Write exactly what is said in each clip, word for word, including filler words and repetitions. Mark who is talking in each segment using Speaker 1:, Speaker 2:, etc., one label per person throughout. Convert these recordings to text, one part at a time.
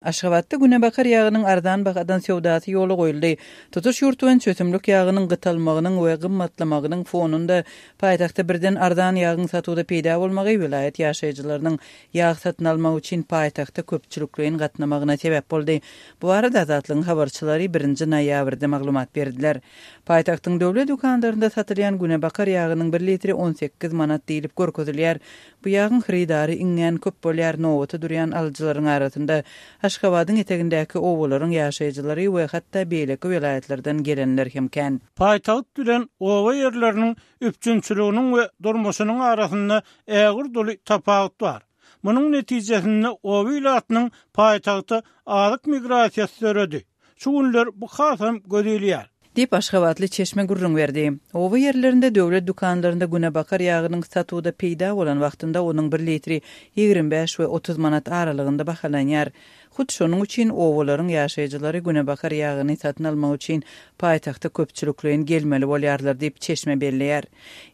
Speaker 1: Aşgabatda günebakar ýagynyň arzan bahadan söwdasy ýola goýuldy. Tutuş ýurt boýunça ösümlik ýagynyň gytalmagynyň we gymmatlamagynyň fonunda paýtagtda birden arzan ýagyň satuwda peýda bolmagy welaýat ýaşaýjylarynyň ýag satyn almak üçin paýtagta köpçülikleýin gatnamagyna sebäp boldy. Bu barada Azatlygyň habarçylary birinji noýabrda maglumat berdiler. Paýtagtyň döwlet dükanlarynda satylýan günebakar ýagynyň bir litri on sekiz manat diýlip görkezilýär. Bu ýagyň hyrydary iňňän köp bolýar, nobata durýan alyjylaryň arasynda Aşgabadyň etegindäki obalaryň ýaşaýjylary we hatda beýleki welaýatlardan gelenler hem kän.
Speaker 2: Paýtagt bilen oba ýerleriniň üpjünçiliginiň we durmuşynyň arasynda ägirt uly tapawut bar. Munuň netijesinde oba ilatynyň paýtagta azyk migrasiýasy döredi. Şu günler bu hasam göz ilýär.
Speaker 1: Diýip, aşgabatly çeşme gürrüň berdi. Oba ýerlerinde döwlet dükanlarynda günebakar ýagynyň satuwda peýda bolan wagtynda onuň bir litri ýigrimi bäş we otuz manat aralygynda bahalanýar. Hut şonuň üçin obalaryň ýaşaýjylary günebakar ýagyny satyn almak üçin paýtagta köpçülikleýin gelmeli bolýarlar diýip, çeşme belleýär.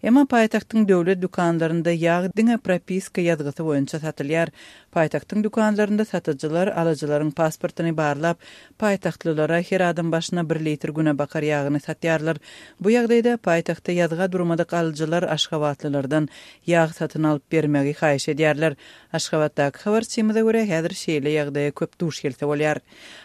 Speaker 1: Emma paýtagtyň döwlet dükanlarynda ýag diňe propiska ýazgysy boýunça satylýar. Paýtagtyň dükanlarynda satyjylar alyjylaryň pasportyny barlap, paýtagtlylara her adam başyna bir litr günebakar ýagyny satýarlar. Bu ýagdaýda paýtagtda ýazga durmadyk alyjylar aşgabatlylardan ýag satyn alyp bermegi haýyş edýärler. Aşgabatdaky habarçymyza görä, häzir şeýle ýagdaýa köp duş gelse bolýar.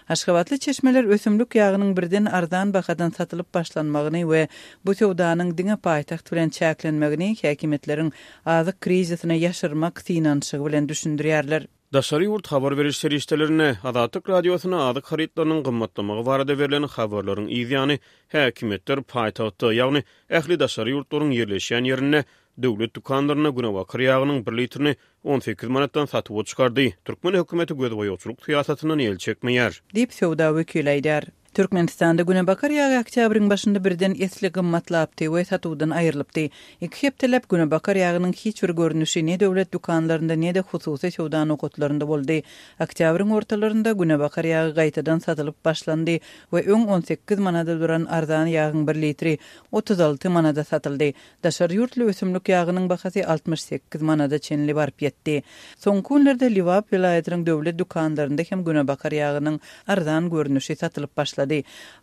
Speaker 1: Aşgabatly çeşmeler ösümlik ýagynyň birden arzan bahadan satylyp başlanmagyny we bu söwdanyň diňe paýtagt bilen çäklenmegini häkimiýetleriň azyk krizisine ýaşyrmak synanyşygy bilen düşündirýärler.
Speaker 3: Daşary ýurt habar beriş serişdelerinde Azatlyk Radiosyna azyk harytlarynyň gymmatlamagy barada berlen habarlaryň yzýany häkimiýetler paýtagtda, ýagny ähli daşary ýurtlaryň ýerleşýän ýerinde döwlet dükanlarynda günebakar ýagynyň bir litrini on sekiz manatdan satuwa çykardy. Türkmen hökümeti gözboýagçylyk syýasatyndan el çekmeýär.
Speaker 1: Diýip, söwda wekili aýdýar. Türkmenistanda günebakar ýagy oktýabryň başynda birden esli gymmatlapdy we satuwdan aýrylypdy. Iki hepdeläp günebakar ýagynyň hiç bir görnüşi ne döwlet dükanlarynda ne-de hususy söwda nokatlarynda boldy. Oktýabryň ortalarynda günebakar ýagy gaýtadan satylyp başlandy we öň on sekiz manada duran arzan ýagyň bir litri otuz alty manada satyldy. Daşary ýurtly ösümlik ýagynyň bahasy altmyş sekiz manada çenli baryp ýetdi. Soňky günlerde Lebap welaýatynyň döwlet dükanlarynda hem günebakar ýagynyň arzan görnüşi satylyp başlady.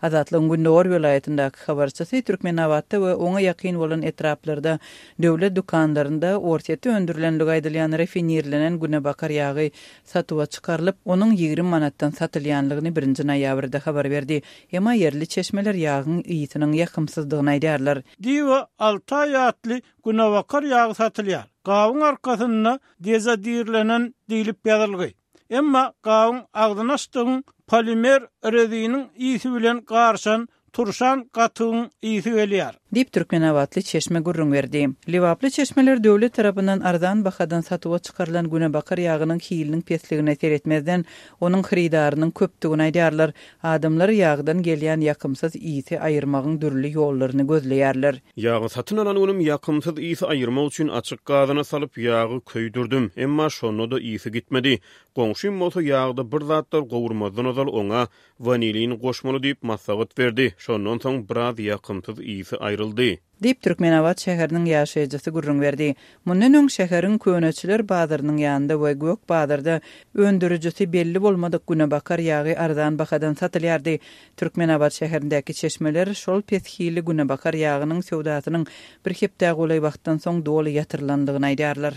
Speaker 1: Azatlygyň Gündogar welaýatyndaky habarçysy Türkmenabatda we oňa ýakyn bolan etraplarda döwlet dükanlarynda Orsýetde öndürilenligi aýdylýan rafinirlenen günebakar ýagy satuwa çykarylyp, onuň ýigrimi manatdan satylýanlygyny birinji noýabrda habar berdi. Emma ýerli çeşmeler ýagyň ysynyň ýakymsyzdygyny aýdýarlar.
Speaker 2: Diwa Altaý atly günebakar ýagy satylýar. Gabyň arkasynda dezodirlenen diýlip ýazylgy. Emma gabyň agzyny açdygyň polimer reziniň ysy bilen garyşan turşan gatygyň ysy gelýär.
Speaker 1: Diýip, türkmenabatly çeşme gürrüň berdi. Lebaply çeşmeler döwlet tarapyndan arzan bahadan satuwa çykarylan günebakar ýagynyň hiliniň pesligine seretmezden, onuň hyrydarynyň köpdügini aýdýarlar. Adamlar ýagdan gelýän ýakymsyz ysy aýyrmagyň dürli ýollaryny gözleýärler.
Speaker 3: Ýagy satyn alan günüm ýakymsyz ysy aýyrmak üçin açyk gazana salyp ýagy köýdürdim, emma şonda-da ysy gitmedi. Goňşym bolsa ýagda bir zatlar gowurmazdan ozal oňa wanilin goşmaly diýip maslahat berdi. Şondan soň biraz ýakymsyz ysy aýryldy.
Speaker 1: Diýip, Türkmenabat şäheriniň ýaşaýjysy gürrüň berdi. Mundan öň şäheriň Köneçiler bazarynyň ýanynda we Gök bazarda öndürijisi belli bolmadyk günebakar ýagy arzan bahadan satylýardy. Türkmenabat şäherindäki çeşmeler şol pes hilli günebakar ýagynyň söwdasynyň bir hepdä golaý wagtdan soň doly ýatyrylandygyny aýdýarlar.